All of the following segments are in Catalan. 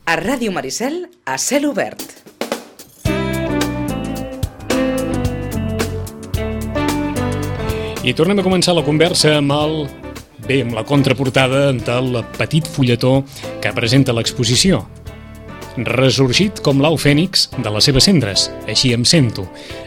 A Ràdio Maricel, a cel obert. I tornem a començar la conversa amb la contraportada del petit fulletó que presenta l'exposició. Ressorgit com l'au fènix de les seves cendres, així em sento.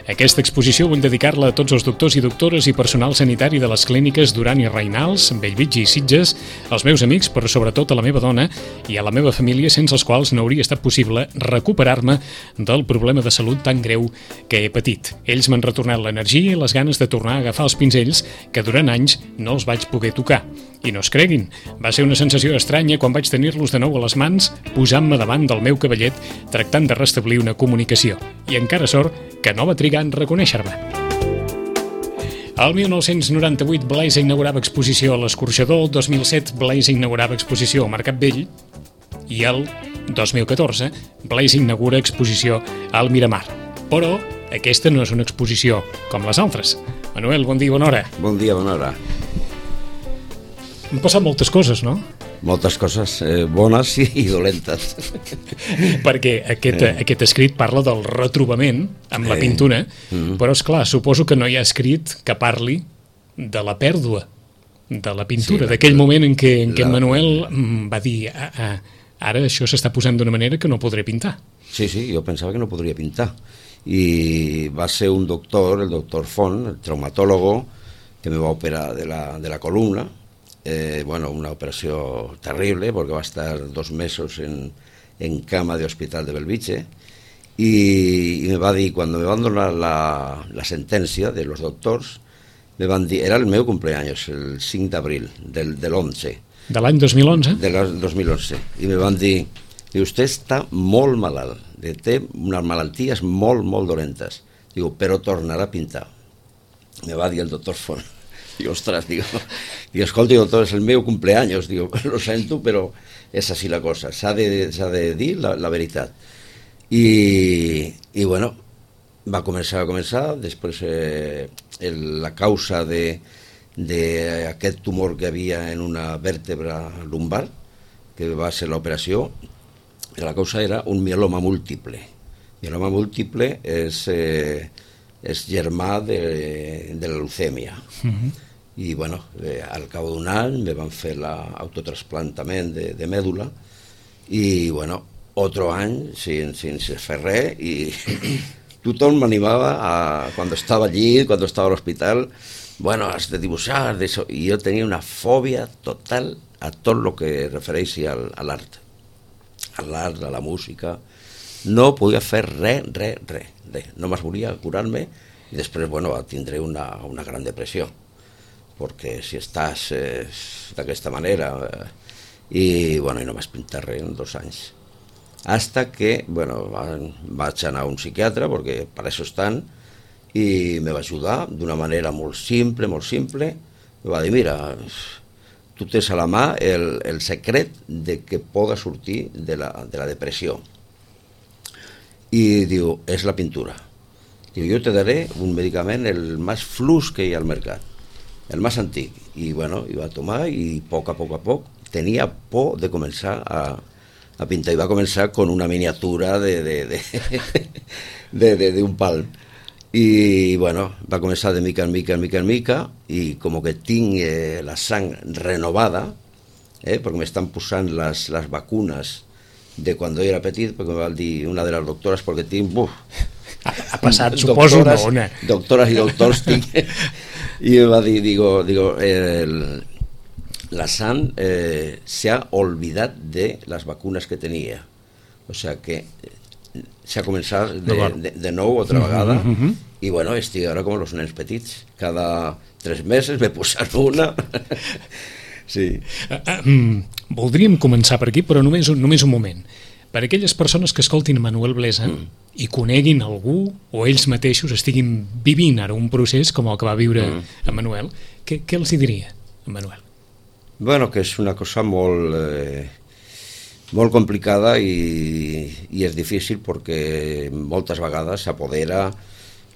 Aquesta exposició vull dedicar-la a tots els doctors i doctores i personal sanitari de les clíniques Duran i Reynals, Bellvitge i Sitges, als meus amics, però sobretot a la meva dona i a la meva família, sense els quals no hauria estat possible recuperar-me del problema de salut tan greu que he patit. Ells m'han retornat l'energia i les ganes de tornar a agafar els pinzells que durant anys no els vaig poder tocar. I no es creguin, va ser una sensació estranya quan vaig tenir-los de nou a les mans, posant-me davant del meu cavallet, tractant de restablir una comunicació. I encara sort que no va trigar en reconèixer-me. El 1998 Blaise inaugurava exposició a l'Escorxador, el 2007 Blaise inaugurava exposició al Mercat Vell i el 2014 Blaise inaugura exposició al Miramar. Però aquesta no és una exposició com les altres. Manuel, bon dia, bona hora. Bon dia, bona hora. Han passat moltes coses, no? Moltes coses bones i dolentes. Perquè aquest escrit parla del retrobament amb la pintura, però, esclar, suposo que no hi ha escrit que parli de la pèrdua de la pintura, d'aquell moment en què en Manuel va dir ara això s'està posant d'una manera que no podré pintar. Sí, jo pensava que no podria pintar. I va ser un doctor, el doctor Font, el traumatólogo, que me va operar de la columna. Una operació terrible porque va a estar 2 meses en cama de hospital de Bellvitge y me va a dir, cuando me van a donar la sentencia de los doctors, me van dir, era el meu cumpleaños, el 5 d'abril del 11. De l'any 2011? Del 2011. I me van dir, usted està molt malalt, té unes malalties molt, molt dolentes. Digo, però tornarà a pintar. Me va dir el doctor Font. Digo, ostras, escolta, doctor, es el meu cumpleaños, digo, lo sento, però és així la cosa, s'ha de dir la veritat. I bueno, va començar, després la causa d'aquest tumor que havia en una vèrtebra lumbar, que va ser l'operació, la causa era un mieloma múltiple. Mieloma múltiple és germà de la leucèmia. I bueno, al cap d'un any me van fer l'autotrasplantament de mèdula i bueno, otro any sense fer res i tothom m'animava quan estava allí, quan estava a l'hospital, bueno, has de dibuixar, i jo tenia una fòbia total a tot el que refereixi a l'art, a la música. No podia fer res, només volia curar-me i després, bueno, tindré una gran depressió, perquè si estàs d'aquesta manera i no vaig pintar res en 2 anys. Hasta que, vaig anar a un psiquiatre, perquè per això estan, i me va ajudar d'una manera molt simple, me va dir, mira, tu tens a la mà el secret de que poda sortir de la depressió. I diu, és la pintura. Diu, jo te daré un medicament el més flux que hi ha al mercat, el més antic. I bueno, i va tomar i a poc tenia por de començar a pintar i va començar con una miniatura d'un palm. I bueno, va començar de mica en mica i com que tinc la sang renovada, perquè m'estan posant les vacunes de quan jo era petit, perquè me va dir una de les doctores, perquè tinc... Ha passat, suposo, una ona. Doctores i doctors tinc. I me va dir, la sang se ha olvidat de les vacunes que tenia. O sea que se ha començat de nou otra vegada i bueno, estic ara com els nens petits. Cada 3 mesos me posen una... Sí. Voldríem començar per aquí, però només un moment. Per aquelles persones que escoltin Manuel Blesa i coneguin algú o ells mateixos estiguin vivint ara un procés com el que va viure en Manuel, què els diria, en Manuel? Bueno, que és una cosa molt complicada i és difícil perquè moltes vegades s'apodera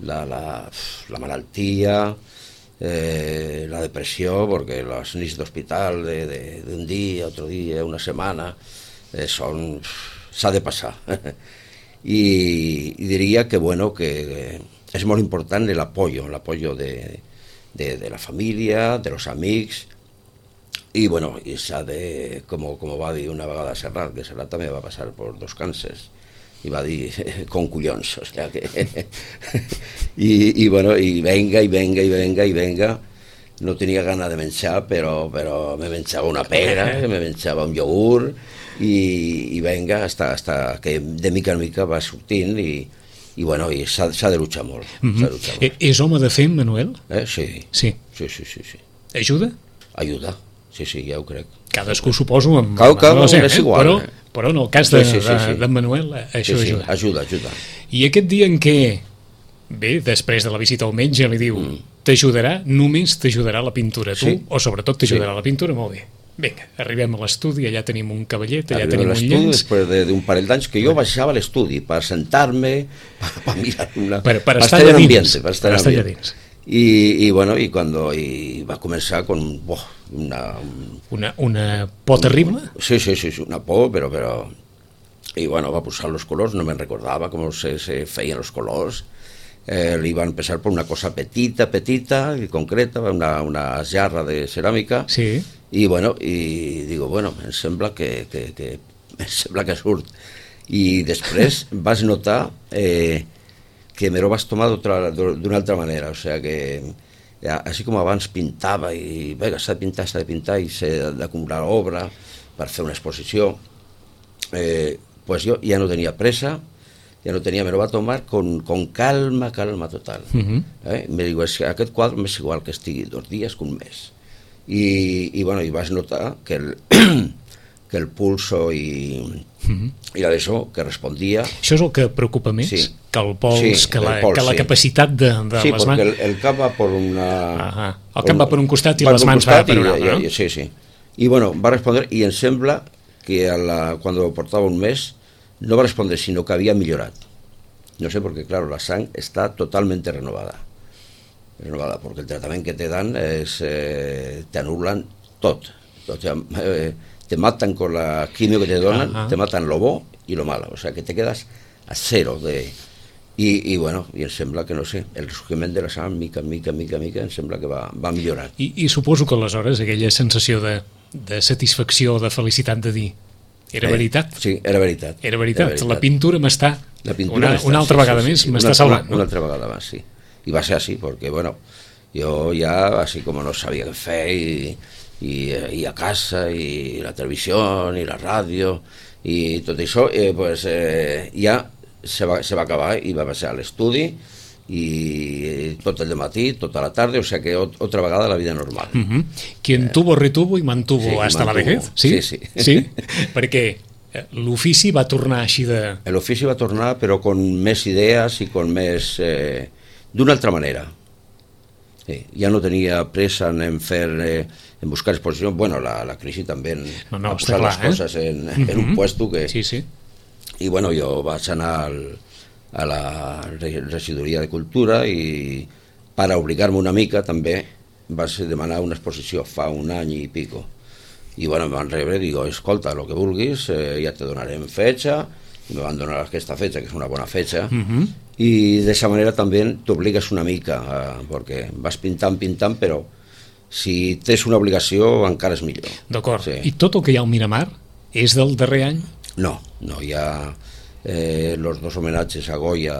la malaltia, la depressió, perquè les nits d'hospital d'un dia, otro dia, una setmana, són s'ha de passar. I diria que, bueno, que és molt important l'apoyo de la família, de los amics, i, bueno, i s'ha de, com va dir una vegada Serrat, que Serrat també va passar per 2 càncers, i va dir, con collons, o sea que... I, bueno, i venga, no tenia gana de menjar, però me menjava una pera, me menjava un iogurt, i venga, hasta que de mica en mica va sortint, i bueno, i s'ha de luchar molt. És home de fer, Manuel? Sí. Sí. Ajuda? Ajuda, sí, ja ho crec. Cadascú, suposo, amb... és igual. Però en el cas d'en Manuel, això ajuda. Ajuda. I aquest dia en què, bé, després de la visita al metge, li diu, t'ajudarà, només t'ajudarà la pintura, tu, o sobretot t'ajudarà la pintura, molt bé. Vinga, arribem a l'estudi, allà tenim un cavallet, allà tenim un llenç... Després d'un parell d'anys que jo baixava a l'estudi per sentar-me, per mirar per estar allà dins. Per estar allà dins. I bueno, i va començar con una por terrible? Sí, una por, però... I bueno, va posar els colors, no me'n recordava com se feien els colors. Li van empezar por una cosa petita y concreta, una jarra de ceràmica. Sí. I bueno, i digo, bueno, em sembla que surt. I després vas notar que me lo vas tomar d'una altra manera, o sea que així com abans pintava i vinga, s'ha de pintar i s'ha d'acumular obra per fer una exposició, pues jo ja no tenia pressa, me lo va tomar con calma total. Me digo, aquest quadre m'és igual que estigui 2 dies que un mes. I bueno, i vas notar que el pulso i d'això, que respondia... Això és el que preocupa més? Sí. Que el pols, que la capacitat de les mans... Sí, perquè el cap va per una... El cap va per un costat i les mans van per un altre, no? Sí. I bueno, va respondre, i em sembla que quan portava un mes no va respondre, sino que havia millorat. No sé, porque claro, la sang está totalmente renovada, porque el tratamiento que te dan te anulan todo. Te matan con la quimio que te donan, te matan lo bo y lo malo, o sea que te quedas a cero i bueno, i em sembla que, no sé, el ressurgiment de la sang mica en mica em sembla que va millorar. I suposo que aleshores aquella sensació de satisfacció, de felicitat de dir era veritat? Sí, era veritat. Era veritat. La pintura m'està, una altra vegada més, m'està salvant. Una altra vegada més, sí. I va ser així, perquè, bueno, jo ja, així com no sabia què fer, i a casa, i la televisió, i la ràdio, i tot això, pues ja se va acabar i va passar a l'estudi, y tot el dematí, tota la tarde, o sea que otra vegada la vida normal. Quien tuvo, retuvo y mantuvo hasta la vejez. Sí. Perquè l'ofici va tornar així de... L'ofici va tornar, però con més idees i con més... d'una altra manera. Ja no tenia pressa en en buscar exposició. Bueno, la crisi també va posar les coses en un puesto que... Sí. I bueno, jo vaig anar a la regidoria de cultura i per obligar-me una mica també vaig demanar una exposició fa un any i pico i bueno, em van rebre i digo, escolta, el que vulguis, ja te donarem fetxa, i me van donar aquesta fetxa, que és una bona fetxa, i d'aquesta manera també t'obligues una mica, perquè vas pintant, però si tens una obligació encara és millor. D'acord, i tot el que hi ha al Miramar és del darrer any? No, hi ha... los 2 homenatges a Goya,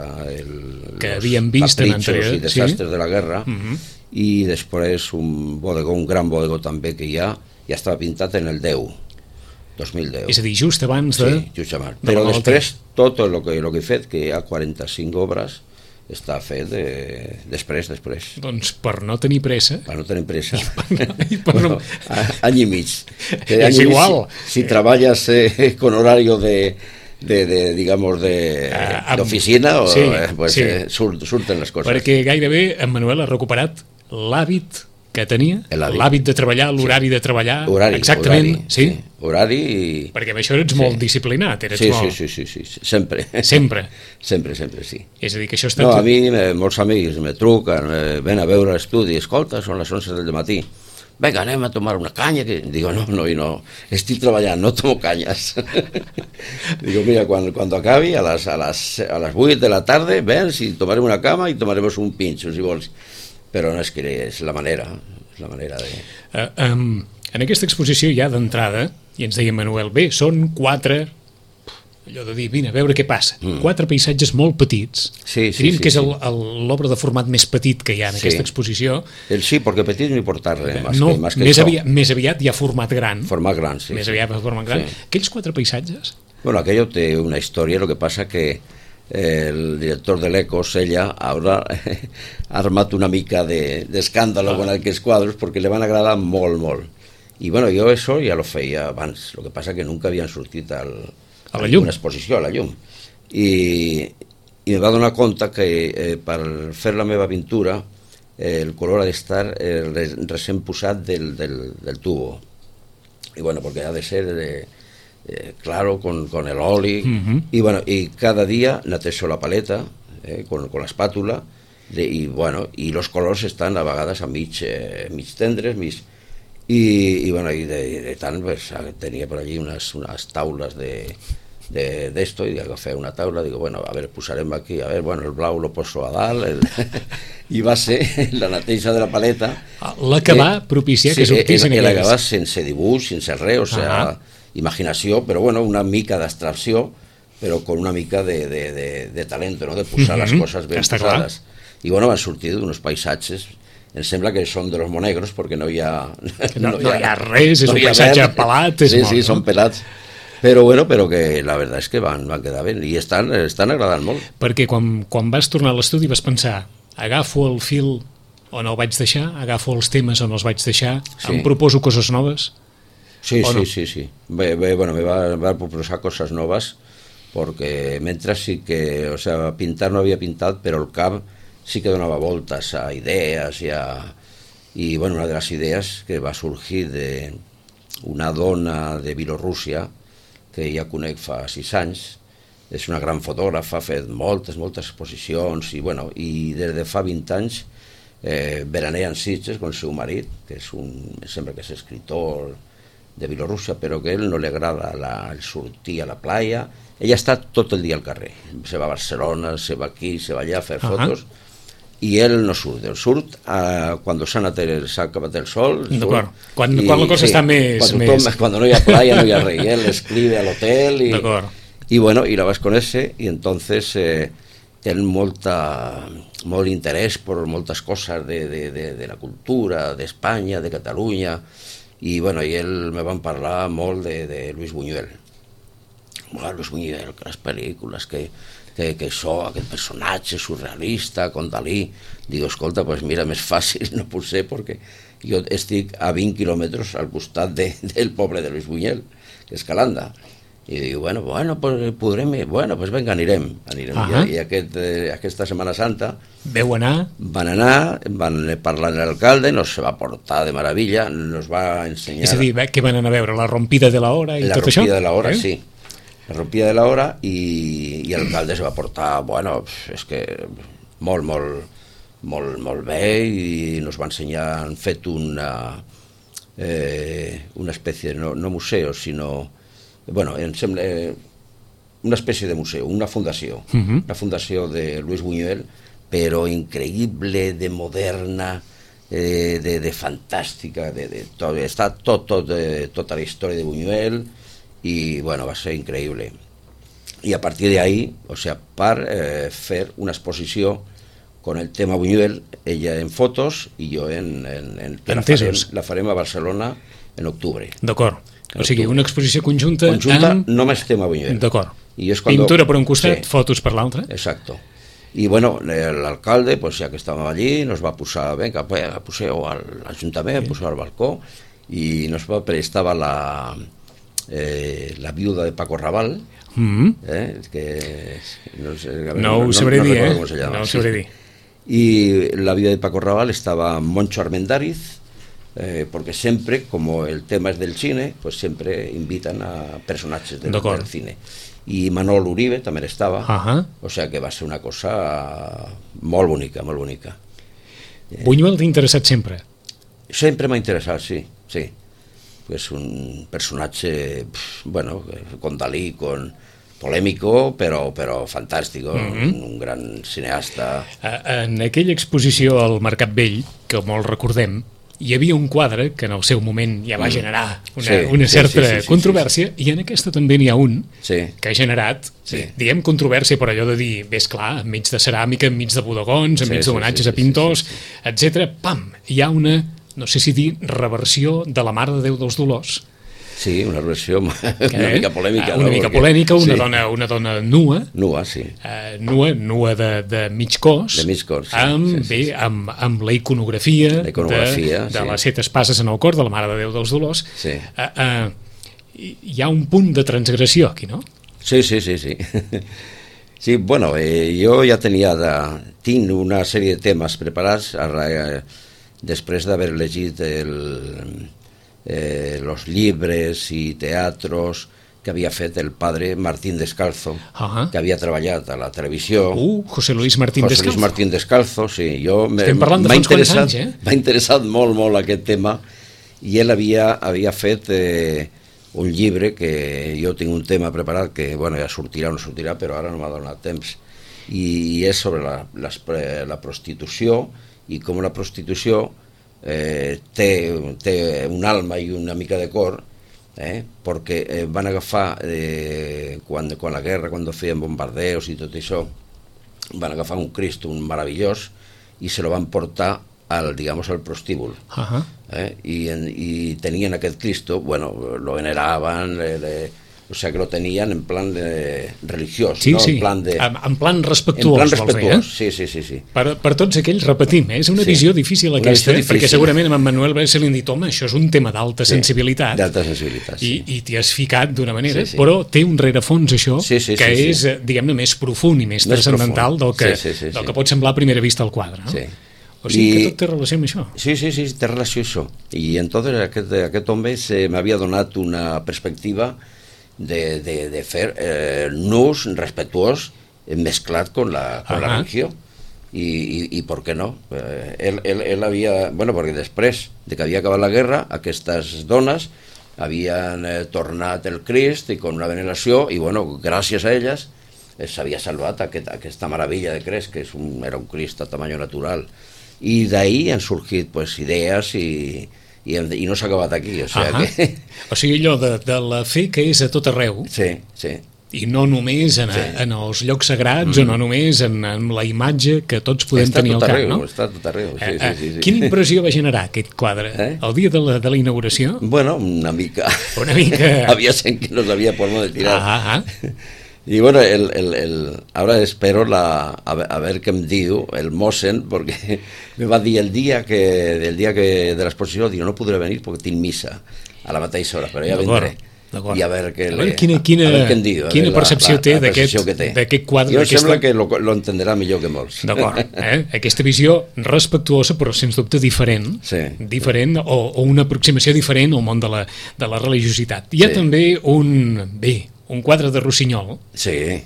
que havíem vist en anterior i desastres de la guerra, i després un gran bodegó també que ja estava pintat en el 2010. És a dir, just abans de... Sí, just abans. Però després tot el que he fet, que hi ha 45 obres, està fet després. Doncs per no tenir pressa. Per no tenir pressa. Bueno, any i mig. És igual. Si treballes con horario digamos de oficina, surten les coses. Perquè gairebé en Manuel ha recuperat l'hàbit que tenia, l'hàbit de treballar, l'horari de treballar, exactament, sí? Horari i... Perquè amb això eres molt disciplinat, Sí, sempre, sí. És a dir, que això està... No, a mi molts amics me truquen, ven a veure l'estudi, escolta, són les 11 del matí, venga, anem a tomar una caña, que digo, no, estic treballant, no tomo cañas. Digo, mira, cuando acabi, a las 8 de la tarde, vens y tomarem una cama y tomaremos un pincho, si vols. Però no, és que és la manera de... En aquesta exposició ja d'entrada, i ens deia Manuel, bé, són 4, allò de dir, vine, a veure què passa, 4 paisatges molt petits. Diríem que és l'obra de format més petit que hi ha en aquesta exposició. Sí, perquè petit no hi porta res, més aviat hi ha format gran. Format gran, sí. Més aviat format gran. Aquells 4 paisatges? Bueno, aquello té una història, lo que passa que el director de l'Ecos, ella, ahora ha armat una mica d'escàndalo con aquells quadros perquè li van agradar molt, molt. I bueno, jo això ja lo feia abans, lo que passa que nunca havien sortit a la llum, una exposició a la llum. I me va donar compte que per fer la meva pintura el color ha d'estar recent posat del tubo. I bueno, perquè ha de ser... claro, con el oli, y bueno, y cada día netejo la paleta con la espátula, y bueno, y los colors estan a vegades a mig tendres, y bueno, y de tant pues, tenia por allí unas taules de esto, y agafé una taula, digo, bueno, a ver, posarem aquí, a ver, bueno, el blau lo poso a dalt, i va ser la neteja de la paleta. L'acabar propiciar que sortissin aquells. L'acabar sense dibuix, sense res, o sea... imaginació, però bueno, una mica d'abstracció, però con una mica de talento, no? De posar les coses ben posades. I bueno, van sortir d'uns paisatges, em sembla que són de los monegros, perquè no hi ha... No hi ha res, és un paisatge pelat. Sí, són pelats. Però bueno, però que la veritat és que van quedar bé, i estan agradant molt. Perquè quan vas tornar a l'estudi vas pensar, agafo el fil on el vaig deixar, agafo els temes on els vaig deixar, em proposo coses noves... Sí. Bueno, me va a proposar cosas nuevas porque mientras sí que, o sea, pintar no había pintado, pero el cap sí que donaba voltas a ideas y bueno, una de las ideas que va surgir de una dona de Bielorússia que ja conec fa 6 anys, és una gran fotògrafa, ha fet moltes exposicions i bueno, i des de fa 20 anys veranea en Sitges con el seu marit, que sembla que és escritor de Bielorússia, però que a ell no li agrada el sortir a la playa. Ella està tot el dia al carrer, se va a Barcelona, se va aquí, se va allà a fer fotos, i ell no surt, quan s'ha acabat el sol, quan la cosa està més... Cuando no hi ha playa, no hi ha res, i ell escribe al hotel, i bueno, i la vas conèixer, i entonces ten molt interès per moltes coses de la cultura, d'Espanya, de Catalunya, i bueno, i ell me van parlar molt de Luis Buñuel. Luis Buñuel, que les pel·lícules, que això, aquest personatge surrealista, con Dalí. Digo, escolta, pues mira, més fàcil no pot ser, perquè jo estic a 20 quilòmetres al costat del poble de Luis Buñuel, que és Calanda. I diu, bueno, pues podrem ir, pues venga, anirem. I aquesta Setmana Santa van anar, van parlar amb l'alcalde, nos va portar de meravella, nos va ensenyar... És a dir, què van anar a veure? La rompida de la hora i tot això? La rompida de la hora, sí. La rompida de la hora i l'alcalde se va portar, bueno, és que molt bé, i nos va ensenyar, han fet una espècie, no museu, sinó... Bueno, em sembla una espècie de museu, una fundació de Luis Buñuel, però increïble, de moderna, de fantàstica, està tota la història de Buñuel, i bueno, va ser increïble. I a partir d'ahí, o sea, per fer una exposició con el tema Buñuel, ella en fotos i jo la farem a Barcelona en octubre. D'acord. O sigui, una exposició conjunta amb... només tema Buñuel. D'acord. Pintura per un costat, fotos per l'altre. Exacto. I bueno, l'alcalde, pues ja que estàvem allí, nos va posar, venga, poseu a l'Ajuntament, poseu al balcó, i nos va prestar la viuda de Paco Raval, que no ho sabré dir, no ho sabré dir. Y la viuda de Paco Raval estaba Moncho Armendáriz, porque siempre, como el tema es del cine, pues siempre invitan a personatges del cine. I Manol Uribe també estava, o sea que va ser una cosa molt bonica, molt bonica. Buñuel t'ha interessat sempre? Sempre m'ha interessat, sí. És un personatge, bueno, con Dalí, polémico, però fantàstico, un gran cineasta. En aquella exposició al Mercat Vell, que molt recordem, hi havia un quadre que en el seu moment ja va generar una certa controvèrsia, i en aquesta també n'hi ha un que ha generat, diguem, controvèrsia per allò de dir, ves clar, enmig de ceràmica, enmig de bodegons, enmig d'homenatges a pintors, etc. Pam! Hi ha una, no sé si dir, reversió de la Mare de Déu dels Dolors. Sí, una versió una mica polèmica. Una mica polèmica, una dona nua. Nua, sí. Nua de mig cos. De mig cos, sí. Amb la iconografia de les 7 espases en el cor de la Mare de Déu dels Dolors. Sí. Hi ha un punt de transgressió aquí, no? Sí. Sí, bueno, jo ja tinc una sèrie de temes preparats després d'haver llegit los libres y teatros que havia fet el padre Martín Descalzo, que havia treballat a la televisió. José Luis Martín Descalzo. José Luis Martín Descalzo, sí. Estem parlant de uns quants anys, M'ha interessat molt aquest tema, i ell havia fet un llibre que jo tinc un tema preparat que, bueno, ja sortirà o no sortirà, però ara no m'ha donat temps, i és sobre la prostitució i com la prostitució té un alma i una mica de cor, perquè van agafar quan la guerra, quan feien bombardeos i tot això, van agafar un Cristo, un meravellós, i se lo van portar al prostíbul, i tenien aquest Cristo, bueno, lo veneraven, o sea que lo tenían en plan religiós, sí, no? Sí, en plan respectuós, sí. Per tots aquells, repetim, és una visió difícil aquesta, perquè segurament a en Manuel se li han dit, home, això és un tema d'alta sensibilitat, i t'hi has ficat d'una manera, però té un rerefons això, que és, diguem-ne, més profund i més transcendental del que pot semblar a primera vista al quadre, no? O sigui que tot té relació amb això. Sí, té relació amb això. I entonces aquest home m'havia donat una perspectiva de fer nus respetuós mesclat con la religió, i per què no? Ell havia, bueno, perquè després de que havia acabat la guerra, aquestes dones havien tornat el Crist i con una veneració, i bueno, gràcies a elles s'havia salvat aquesta meravella de Crist, que era un Crist a tamany natural, i d'ahí han sorgit idees i no s'ha acabat aquí, o sigui allò de la fe que és a tot arreu, i no només en els llocs sagrats, o no només en la imatge que tots podem tenir al cap, no? Està tot arreu, sí. Quina impressió va generar aquest quadre el dia de la inauguració? Bueno, una mica havia gent que no sabia por dónde tirar. Y bueno, ahora espero a ver qué me diu el Mossen, porque me va a decir el día de la exposición, digo, no podré venir porque tinc misa a la mateixa hora, però ja vendré. I a veure quina percepció té d'aquest quadre. Jo sembla que lo entenderà millor que molts. D'acord, aquesta visió respectuosa però sens dubte diferent, o una aproximació diferent al món de la religiositat. Hi ha també un quadre de Rossinyol. Sí.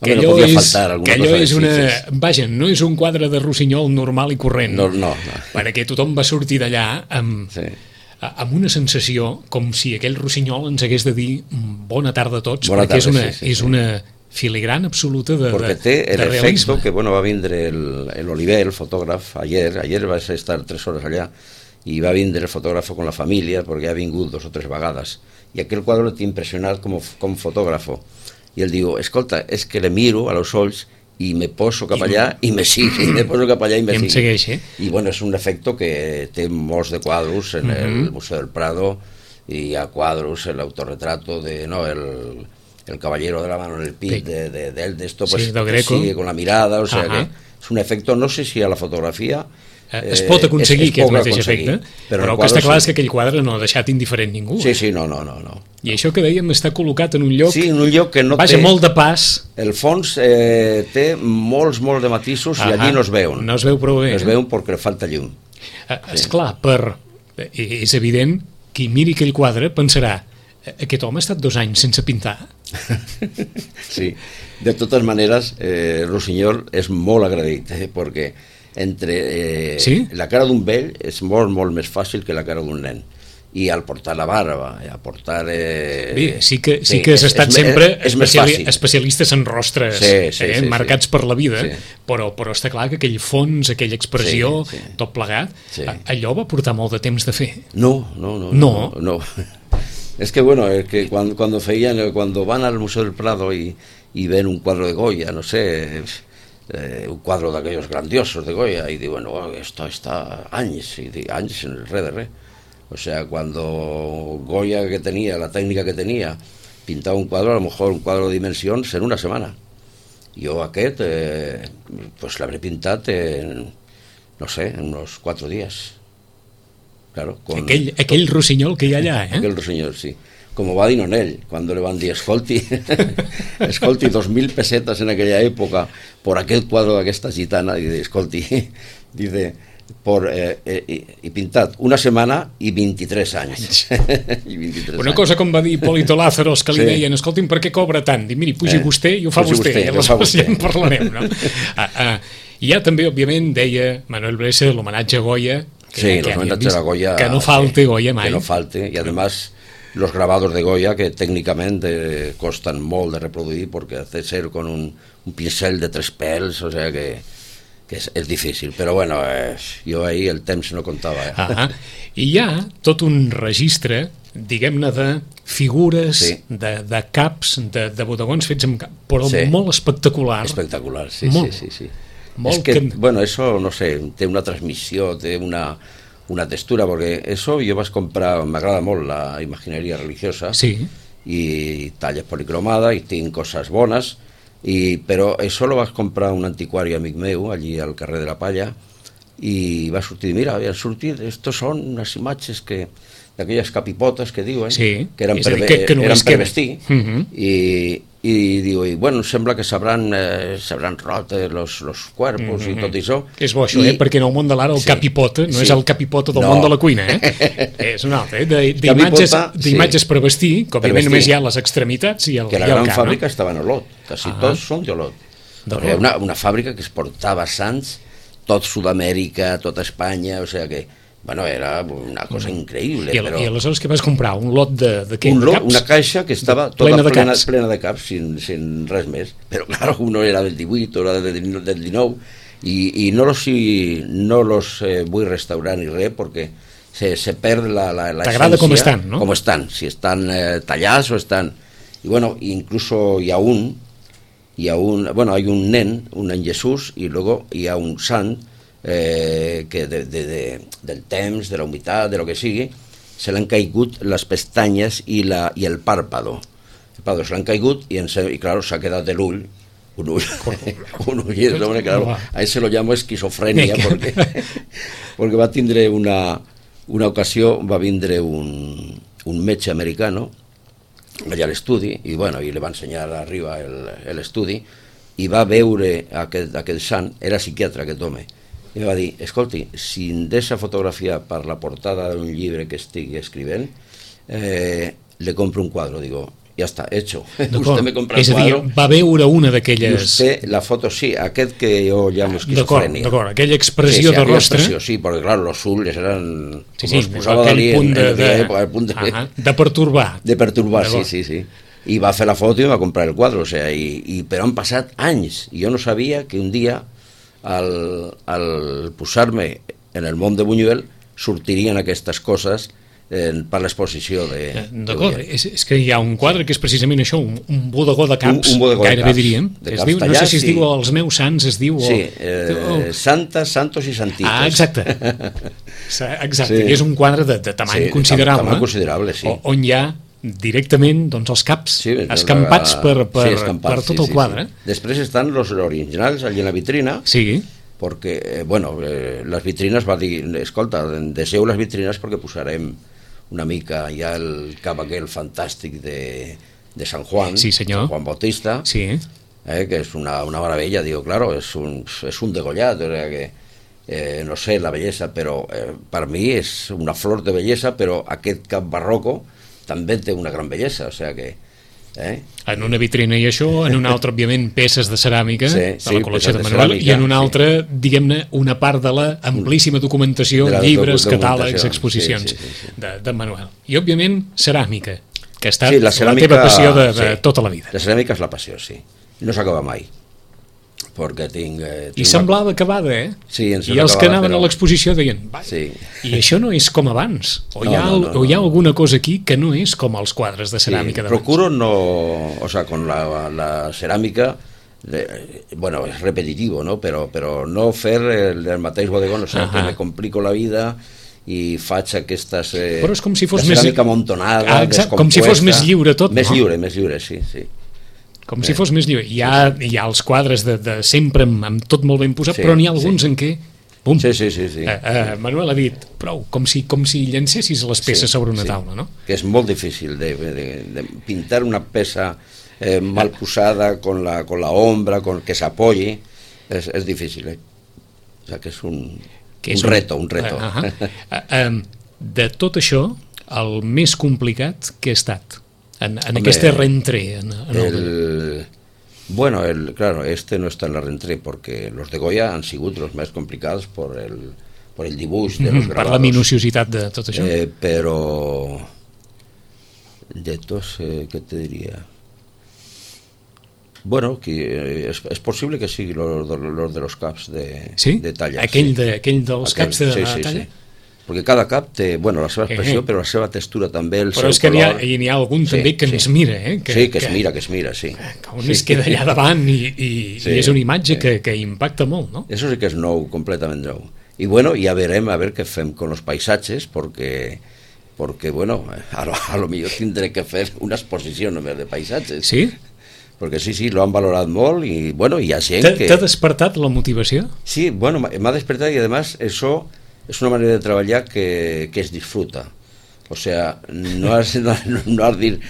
Que allò és una... Vaja, no és un quadre de Rossinyol normal i corrent. No. Perquè tothom va sortir d'allà amb una sensació com si aquell Rossinyol ens hagués de dir bona tarda a tots, perquè és una filigrana absoluta de realisme. Perquè té l'efecte que va vindre l'Oliver, el fotògraf, ayer va estar 3 hores allà, i va vindre el fotògraf con la família, perquè ha vingut 2 o 3 vegades, i aquell quadre l'he impressionat com fotògrafo, i ell diu, escolta, és que le miro a los ulls i me poso cap allà i me sigue, i me poso cap allà i me sigue. I bueno, és un efecte que té molts de quadros en el Museu del Prado, i hi ha quadros, el autorretrato de, no, el caballero de la mano en el pit de esto, pues sigue con la mirada, o sea que és un efecte, no sé si a la fotografia es pot aconseguir aquest mateix efecte, però el que està clar és que aquell quadre no ha deixat indiferent ningú. Sí, no. I això que dèiem està col·locat en un lloc que no té molt de pas. El fons té molts de matisos, i allí no es veuen. No es veu prou bé. No es veuen perquè falta llum. Esclar, és evident qui miri aquell quadre pensarà, aquest home ha estat 2 anys sense pintar. Sí, de totes maneres Rossinyol és molt agraït, perquè Sí? La cara d'un vell és molt, molt més fàcil que la cara d'un nen. I al portar la barba, al portar... Sí que has estat sempre especialistes en rostres marcats per la vida, però està clar que aquell fons, aquella expressió, tot plegat, allò va portar molt de temps de fer. No. Es que bueno, es que cuando van al Museo del Prado y ven un cuadro de Goya, no sé, un cuadro de aquellos grandiosos de Goya, y digo, bueno, esto está años en el re. O sea, cuando Goya, que tenía, la técnica que tenía, pintaba un cuadro, a lo mejor un cuadro de dimensions en una setmana. Jo aquest, pues l'habré pintat en, no sé, en unos 4 días. Claro, aquell rossinyol que hi ha allà, Aquell rossinyol, sí. Como va Dinonell, cuando le van a decir, escolti, 2.000 pesetas en aquella época por aquel cuadro d'aquesta gitana, y dice, escolti, dice... i pintat una setmana i 23 anys. Una cosa com va dir Hipólito Lázaros, que li deien, escolti'm, per què cobra tant? Dic, miri, pugi vostè i ho fa vostè, i aleshores ja en parlarem, no? I ja també, òbviament, deia Manuel Blesa l'homenatge a Goya, que no falte Goya mai. Que no falte, y además los grabados de Goya, que técnicamente costan molt de reproduir, porque hace ser con un pincel de 3 pèls, o sea que és difícil, però bueno, jo ahir el temps no comptava. I hi ha tot un registre, diguem-ne, de figures, de caps, de bodegons fets amb cap, però molt espectacular. Espectacular, sí. Molt és que, bueno, eso, no sé, té una transmissió, té una textura, porque eso jo vaig comprar, m'agrada molt la imagineria religiosa, i talles policromada, i tinc coses bones, però això lo vas comprar un antiquari amic meu allí al carrer de la Palla i va sortir, mira, havien sortit, estos són unes imatges d'aquelles capipotes que diuen, que eren per vestir, i diu, bueno, sembla que s'hauran rot los cuerpos i tot això. És bo això, perquè en el món de l'art el capipota no és el capipota del món de la cuina, és un altre, d'imatges per vestir, que òbviament només hi ha les extremitats i el cap. Que la gran fàbrica estava en Olot, quasi tots són d'Olot. Una fàbrica que es portava sants tot Sud-amèrica, tota Espanya, o sigui que bueno, era una cosa increïble. I aleshores què vas comprar? Un lot de què? Una caixa que estava tota plena de caps, sin res més. Però, clar, uno era del 18, era del 19, i no los vull restaurar ni res, perquè se perd la essència. T'agrada com estan, no? Com estan, si estan tallats o estan... I, bueno, incluso hi ha bueno, hay un nen Jesús, y luego hi ha un sant que del temps, de la humitat, de lo que sigui, se l'han caigut les pestanyes i el pàrpado. El pàrpado se l'han caigut i claro, s'ha quedat de l'ull, un ull, y el hombre, claro, a ese lo llamo esquizofrenia, porque va tindre una ocasió, va vindre un metge americano allà a l'estudi, i bueno, i li va ensenyar arriba l'estudi, i va veure aquest sant, era psiquiatre aquest home, i va dir, escolti, si em deixa fotografiar per la portada d'un llibre que estigui escrivint, le compro un quadro. Digo, ja està, hecho. Usted me compra el quadro. És a dir, va veure una d'aquelles... Usted, la foto, sí, aquest que jo llamo esquizofrenia. D'acord, aquella expressió de rostre... Sí, perquè, clar, los ulls eren... Sí, aquell punt de pertorbar. De pertorbar, sí. I va fer la foto i va comprar el quadre, o sea, però han passat anys, i jo no sabia que un dia al posar-me en el món de Buñuel sortirien aquestes coses per l'exposició de... D'acord, és que hi ha un quadre que és precisament això, un bodegó de caps, gairebé diríem, no sé si es diu els meus sants, es diu... Sí, santes, santos i santitos. Exacte, i és un quadre de tamany considerable. Tamany considerable, sí. On hi ha directament els caps escampats per tot el quadre. Després estan els originals allà en la vitrina, perquè, bueno, les vitrines va dir, escolta, deseu les vitrines perquè posarem una mica ja el cap aquell fantàstic de San Juan, San Juan Bautista, que és una meravella, digo, claro, és un degollat, o sea que no sé la bellesa, però per mi és una flor de bellesa, però aquest cap barroco també té una gran bellesa, o sea que En una vitrina i això, en una altra, òbviament, peces de ceràmica de la col·lecció de Manuel, i en una altra, diguem-ne, una part de la amplíssima documentació, llibres, catàlegs, exposicions de Manuel. I, òbviament, ceràmica, que ha estat la teva passió de tota la vida. La ceràmica és la passió, sí. No s'acaba mai. Perquè tinc I semblava acabada, Sí, i els que anaven a l'exposició deien, i això no és com abans, o hi ha alguna cosa aquí que no és com els quadres de ceràmica d'abans. Procuro no, o sea, con la ceràmica, bueno, és repetitivo, ¿no? Però no fer el mateix bodegón, o sea, que me complico la vida i faig aquestes però és com si fos ceràmica amontonada, descompuesta, com si fos més lliure tot, més lliure, sí. Com si fos més lliure. Hi ha els quadres de sempre amb tot molt ben posat, però n'hi ha alguns en què... Pum. Sí. Manuel ha dit, prou, com si llancessis les peces sobre una taula, no? Que és molt difícil de pintar una peça mal posada, con la ombra, que s'apoyi, és difícil, O sea, que és un reto. De tot això, el més complicat que ha estat en aquesta rentrée bueno, claro, no está en la rentrée porque los de Goya han sido los más complicados por el dibuix de los grabados, per la minuciositat de tot això, pero de tots, ¿qué te diría? Bueno, que es posible que sigui los de los caps de talla, aquell dels caps de talla. Perquè cada cap té, bueno, la seva expressió, però la seva textura també, el però seu color... Però és que n'hi ha algun també que ens mira, que es mira, sí. Que un es queda allà davant i és una imatge que impacta molt, ¿no? Eso sí que és nou, completament nou. I bueno, ja verem a ver què fem con los paisatges, porque bueno, a lo millor tindré que fer una exposició només de paisatges. Sí? Perquè sí, lo han valorat molt i bueno, hi ha gent que... T'ha despertat la motivació? Sí, bueno, m'ha despertat i además eso... es una manera de trabajar que es disfruta. O sea, no has dir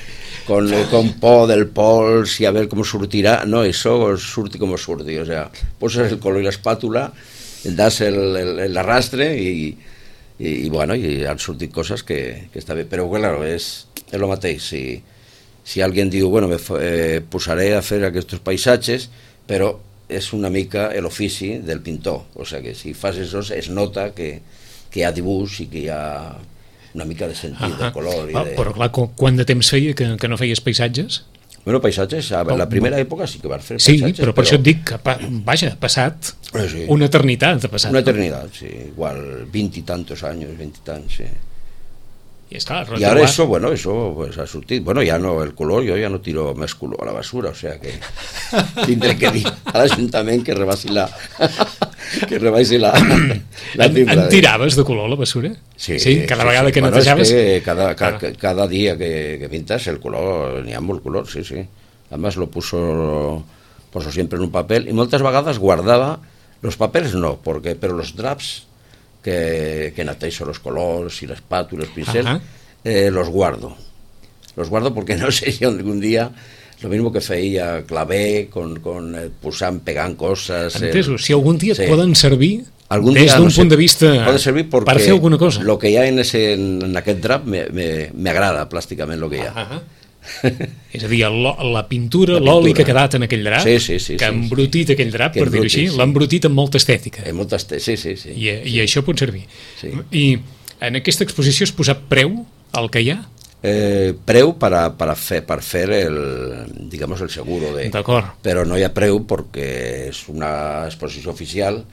con por del pols y a ver cómo surtirá. No, eso surti como surti. O sea, posas el color y la espátula, das el arrastre y bueno, y han surtit cosas que está bien. Pero claro, es lo mateix. Si alguien diu, bueno, me posaré a fer aquests paisatges, però és una mica l'ofici del pintor, o sigui que si fas això es nota que hi ha dibuix i que hi ha una mica de sentit de color. Però clar, quant de temps feia que no feies paisatges? Bueno, paisatges, a la primera època sí que vas fer paisatges. Sí, però per això et dic que, vaja, ha passat una eternitat. Una eternitat, sí, igual 20 y tantos años, 20 y tantos, sí. Y ahora eso, bueno, eso pues ha surtido. Bueno, ya no, el color, yo ya no tiro más color a la basura, o sea que tendré que dir a l'Ajuntament que rebaixa la timbra. En tiraves de color a la basura? Sí. Cada vegada que netejaves? Es que cada día que pintas el color, n'hi ha molt color, sí. Además lo poso siempre en un papel y moltes vegades guardaba los papeles, no, pero los drapes que nateixo los colores y la espátula, los pinceles, los guardo porque no sé si algún día lo mismo que feia clavé con posant, pegant coses. Entesos, si algun dia poden servir des d'un punt de vista per fer alguna cosa. Lo que hi ha en aquest drap me agrada plàsticament lo que hi ha. És a dir, la pintura, l'oli que ha quedat en aquell drap, que ha embrutit aquell drap, per dir-ho així, l'ha embrutit amb molta estètica. Sí. I això pot servir. I en aquesta exposició has posat preu al que hi ha? Preu per fer digamos el seguro però no hi ha preu perquè és una exposició oficial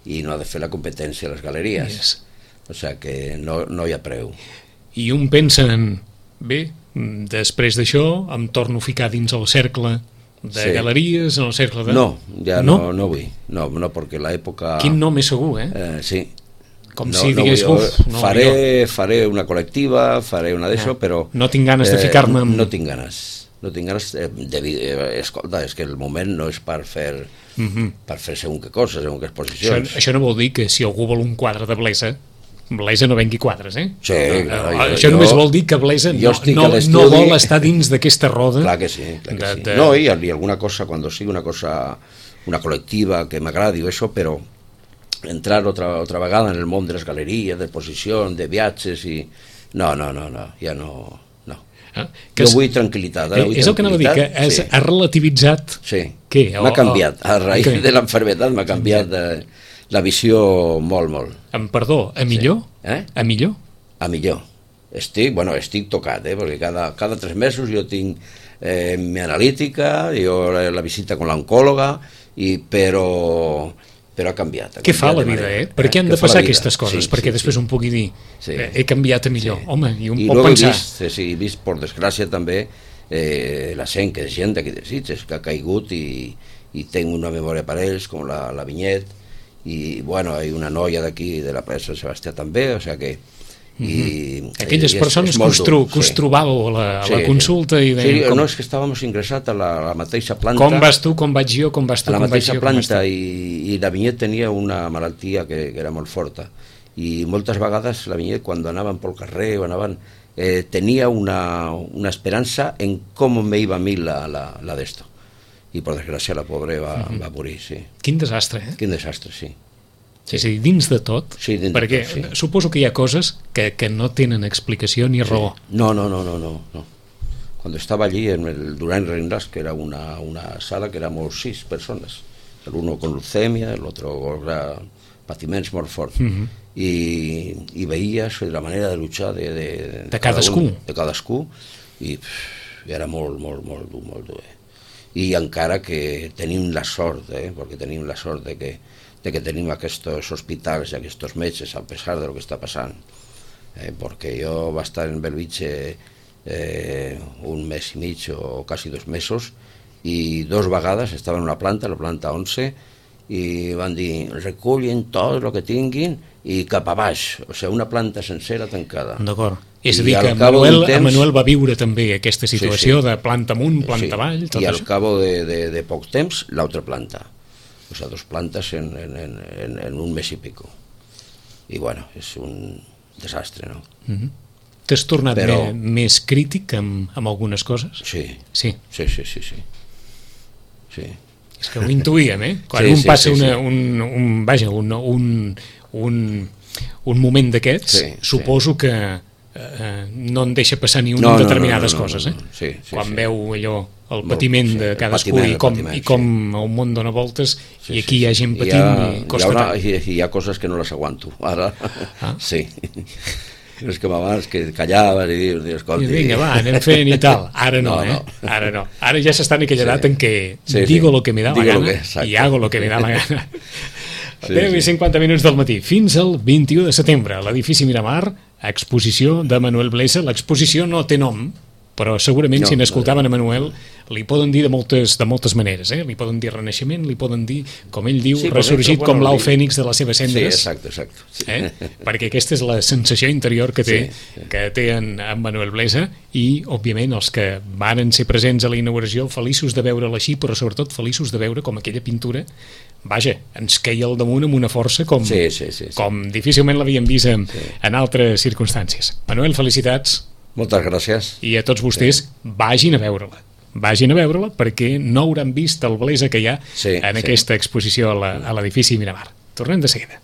i no ha de fer la competència a les galeries, o sigui que no hi ha preu. I un pensa en, bé, després d'això em torno a ficar dins el cercle de galeries, en el cercle de... No, ja no vull, no, perquè l'època... Quin nom és segur, Sí. Com si digués, faré una col·lectiva, faré una d'això, però... No tinc ganes de ficar-me amb... No tinc ganes, escolta, és que el moment no és per fer segon que coses, segon que exposicions. Això no vol dir que si algú vol un quadre de Blesa no vengui quadres, Sí, això només vol dir que Blesa no vol estar dins d'aquesta roda. Clar que sí. No, i alguna cosa, quan sigui una cosa, una col·lectiva que m'agradi o això, però entrar otra vegada en el món de les galeries, de exposició, de viatges i... No, ja no. Jo vull tranquil·litat. És el que anava a dir, que ha relativitzat... Sí, què? M'ha canviat. A raïs de l'enfermetat m'ha canviat la visió molt, molt. Perdó, a millor? A millor? A millor. Estic tocat, perquè cada 3 mesos jo tinc mi analítica, la visita amb l'oncòloga, però ha canviat. Què fa la vida, Per què han de passar aquestes coses? Perquè després un pugui dir, he canviat a millor. Home, i un pot pensar... He vist, per desgràcia, també la gent, que és gent d'aquí de Sitges, que ha caigut i tinc una memòria per ells, com la Vinyet, i, bueno, hi ha una noia d'aquí, de la plaça de Sebastià també, o sigui que... Aquelles persones que us trobàveu a la consulta i deien... No, és que estàvem ingressats a la mateixa planta. Com vas tu, com vaig jo, com vas tu, com vaig jo. A la mateixa planta, i la Vinyet tenia una malaltia que era molt forta, i moltes vegades la Vinyet, quan anaven pel carrer o anaven, tenia una esperança en com me iba a mi la d'esto, i per desgràcia la pobra va morir, sí. Quin desastre, Quin desastre, sí. És a dir, dins de tot, perquè suposo que hi ha coses que no tenen explicació ni raó. No. Cuando estaba allí en el Durán Reinders, que era una sala que éramos 6 persones, el uno con leucemia, el otro con patiments molt forts, i veies la manera de luchar de cadascú, i era molt dur. I encara que tenim la sort, perquè tenim la sort de que tenim aquests hospitals i aquests metges, a pesar de lo que està passant, perquè jo va estar en Bellvitge 1 mes i mig o quasi 2 mesos, i 2 vegades estava en una planta, la planta 11, i van dir, recullen tot el que tinguin i cap a baix, o sigui, una planta sencera tancada. D'acord. És a dir, que Manuel va viure també aquesta situació de planta amunt, planta avall, tot això. I al això. cabo de poc temps, l'altra planta. O sea, 2 plantes en 1 mes y pico. Y bueno, es un desastre, ¿no? T'has tornat més crític amb algunes coses? Sí. Sí. És que ho intuïem, Quan un passa un moment d'aquests, suposo que no en deixa passar ni una en determinades coses, Quan veu allò, el patiment de cadascú i com el món dona voltes, i aquí hi ha gent patint i costa tant. Hi ha coses que no les aguanto, ara sí. És que abans que callaves i dius, escolti... Vinga, va, anem fent i tal. Ara no, Ara no. Ara ja s'està en aquella edat en què digo lo que me da la gana i hago lo que me da la gana. 10 i 50 minuts del matí, fins al 21 de setembre, a l'edifici Miramar, exposició de Manuel Blesa. L'exposició no té nom, però segurament si n'escoltaven a Manuel li poden dir de moltes maneres, li poden dir renaixement, li poden dir, com ell diu, ressorgit com l'au fènix de les seves cendres. Sí, exacte. Perquè aquesta és la sensació interior que té en Manuel Blesa, i òbviament els que varen ser presents a la inauguració feliços de veure'l així, però sobretot feliços de veure com aquella pintura, vaja, ens queia al damunt amb una força com difícilment l'havíem vist en altres circumstàncies. Manuel, felicitats. Moltes gràcies. I a tots vostès, vagin a veure-la. Vagin a veure-la perquè no hauran vist el Blesa que hi ha en aquesta exposició a l'edifici Miramar. Tornem de seguida.